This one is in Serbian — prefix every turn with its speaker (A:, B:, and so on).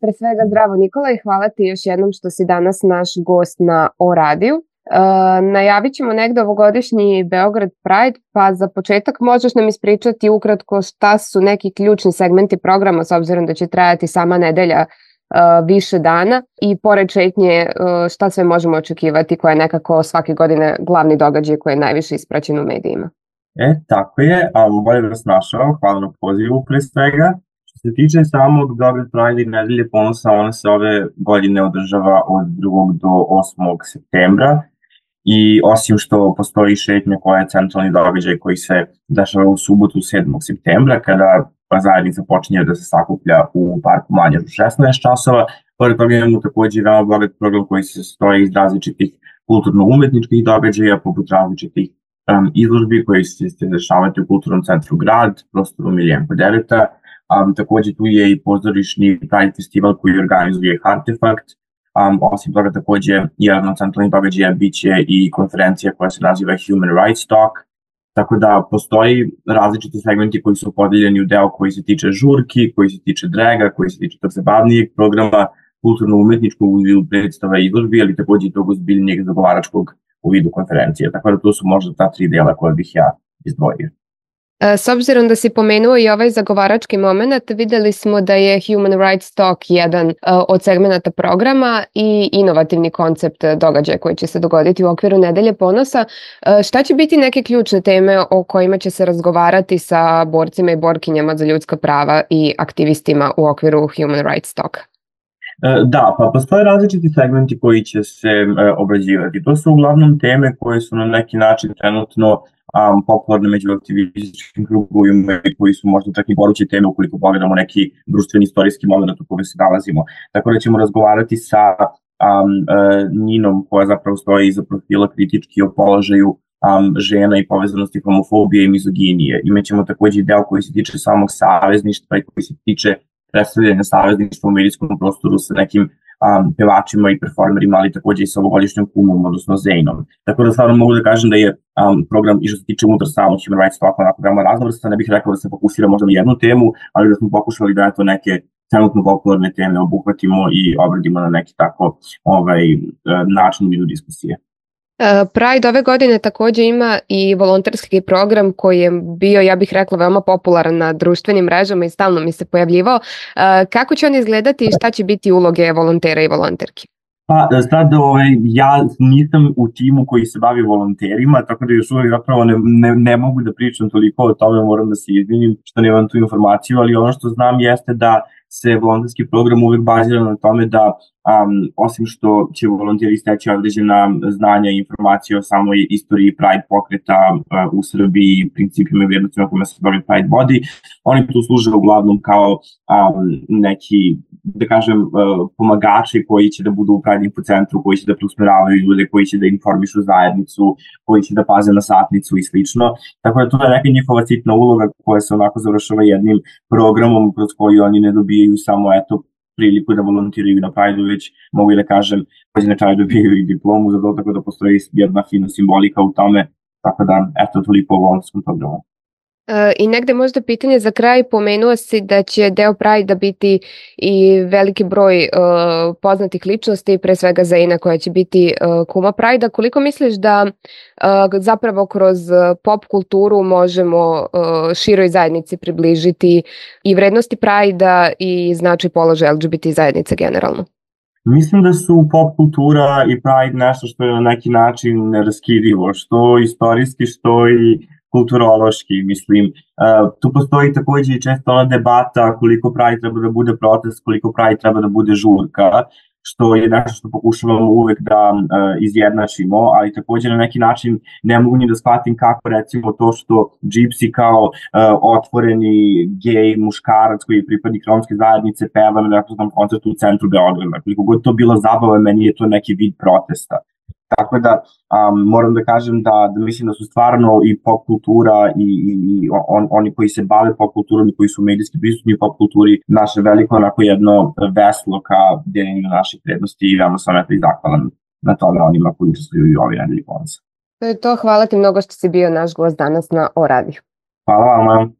A: Pre svega zdravo Nikola i hvala ti još jednom što si danas naš gost na O radiju. Najavit ćemo negde ovogodišnji Beograd Pride, pa za početak možeš nam ispričati ukratko šta su neki ključni segmenti programa, s obzirom da će trajati sama nedelja više dana i pored šetnje šta sve možemo očekivati koja je nekako svake godine glavni događaj koji je najviše ispraćen u medijima.
B: Tako je, bolje da vas našao, hvala na pozivu pre svega. Što se tiče samog Beograd Pride i nedelje ponosa, ona se ove godine održava od 2. do 8. septembra i osim što postoji šetnja koja je centralni događaj koji se dešava u subotu 7. septembra kada zajednica počinje da se sakuplja u parku Manjaž u 16 časova. Pored toga imamo takođe veoma bogat program koji se sastoji iz različitih kulturno-umetničkih događaja poput različitih izložbi koji se dešavati u Kulturnom centru Grad, prostoru Miljenko Dereta. Takođe tu je i pozorišni Pride festival koji organizuje Artefakt. Osim toga takođe jedan od centralnih događaja biće i konferencija koja se naziva Human Rights Talk. Tako da postoji različiti segmenti koji su podeljeni u deo koji se tiče žurki, koji se tiče draga, koji se tiče tog zabavnijeg programa, kulturno-umetničkog u vidu predstava i izložbi, ali takođe i tog ozbiljnijeg zagovaračkog u vidu konferencije. Tako da to su možda ta 3 dela koje bih ja izdvojio.
A: S obzirom da si pomenuo i ovaj zagovarački moment, videli smo da je Human Rights Talk jedan od segmenata programa i inovativni koncept događaja koji će se dogoditi u okviru Nedelje ponosa. Šta će biti neke ključne teme o kojima će se razgovarati sa borcima i borkinjama za ljudska prava i aktivistima u okviru Human Rights Talk?
B: Da, pa postoje različiti segmenti koji će se obrađivati. To su uglavnom teme koje su na neki način trenutno popularne među aktivističkim krugovima i koji su možda čak i goruće teme ukoliko pogledamo neki društveni istorijski moment u kome se nalazimo. Tako da ćemo razgovarati sa Ninom koja zapravo stoji iza profila kritički o položaju žena i povezanosti homofobije i mizoginije. Imaćemo takođe i deo koji se tiče samog savezništva i koji se tiče predstavljanja savezništva u medijskom prostoru sa nekim pevačima i performerima, ali takođe i sa ovogodišnjom kumom, odnosno Zejnom. Tako da stvarno mogu da kažem da je program i što se tiče unutar samog Human Rights Talk onako veoma raznovrstan. Ne bih rekao da se fokusira možda na jednu temu, ali da smo pokušali da to neke trenutno popularne teme obuhvatimo i obradimo na neki tako način u vidu diskusije.
A: Pride ove godine takođe ima i volonterski program koji je bio, ja bih rekla, veoma popularan na društvenim mrežama i stalno mi se pojavljivao. Kako će on izgledati i šta će biti uloge volontera i volonterki?
B: Pa sad ja nisam u timu koji se bavi volonterima, tako da još uvek zapravo ne mogu da pričam toliko o tome, moram da se izvinim što nemam tu informaciju, ali ono što znam jeste da se volonterski program uvek bazira na tome da osim što će volonteri steći određena znanja i informacije o samoj istoriji Pride pokreta u Srbiji, principima i vrijednostima kojima se bavi Pride vodi, oni tu služe uglavnom kao neki, da kažem, pomagači koji će da budu u Pride Info centru, koji će da preusmeravaju ljude, koji će da informišu zajednicu, koji će da paze na satnicu i slično. Tako da to je neka njihova sitna uloga koja se onako završava jednim programom kroz koji oni ne dobijaju samo priliku da volontiraju na Pride-u, već mogu da kažem, koji na kraju dobijaju i diplomu za to, tako da postoji jedna fina simbolika u tome, tako da toliko o volonterskom programu.
A: I negde možda pitanje za kraj, pomenuo si da će deo Pride-a biti i veliki broj poznatih ličnosti, pre svega Zejna koja će biti kuma Pride-a. Koliko misliš da zapravo kroz pop kulturu možemo široj zajednici približiti i vrednosti Pride-a i značaj položaja LGBT zajednice generalno?
B: Mislim da su pop kultura i Pride nešto što je na neki način neraskidivo, što istorijski, što i kulturološki, mislim. Tu postoji takođe i često ona debata koliko Pride treba da bude protest, koliko Pride treba da bude žurka, što je nešto što pokušavamo uvek da izjednačimo, ali takođe na neki način ne mogu ni da shvatim kako recimo to što Gypsy kao otvoreni gej muškarac koji je pripadnik romske zajednice peva na nekakvom koncertu u centru Beograda. Koliko god to bila zabava, meni je to neki vid protesta. Tako da moram da kažem da mislim da su stvarno i pop kultura i oni koji se bave pop kulturom i koji su medijski prisutni u pop kulturi naše veliko onako jedno veslo ka deljenju naših vrednosti i veoma sam i zahvalan na tome onima koji učestvuju i ovi nedelji ponosa.
A: To je to, hvala ti mnogo što si bio naš gost danas na O radiju.
B: Hvala vam.